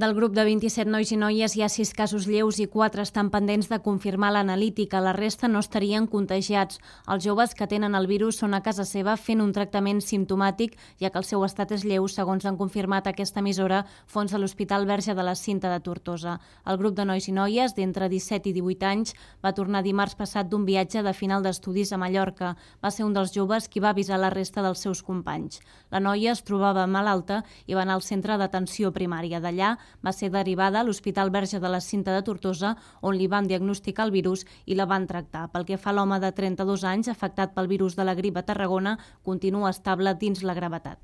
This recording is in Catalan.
Del grup de 27 nois i noies hi ha 6 casos lleus i 4 estan pendents de confirmar l'analítica. La resta no estarien contagiats. Els joves que tenen el virus són a casa seva fent un tractament simptomàtic, ja que el seu estat és lleu, segons han confirmat aquesta emissora fonts de l'Hospital Verge de la Cinta de Tortosa. El grup de nois i noies d'entre 17 i 18 anys va tornar dimarts passat d'un viatge de final d'estudis a Mallorca. Va ser un dels joves qui va avisar la resta dels seus companys. La noia es trobava malalta i va anar al centre d'atenció primària. D'allà va ser derivada a l'Hospital Verge de la Cinta de Tortosa, on li van diagnosticar el virus i la van tractar. Pel que fa a l'home de 32 anys, afectat pel virus de la grip a Tarragona, continua estable dins la gravetat.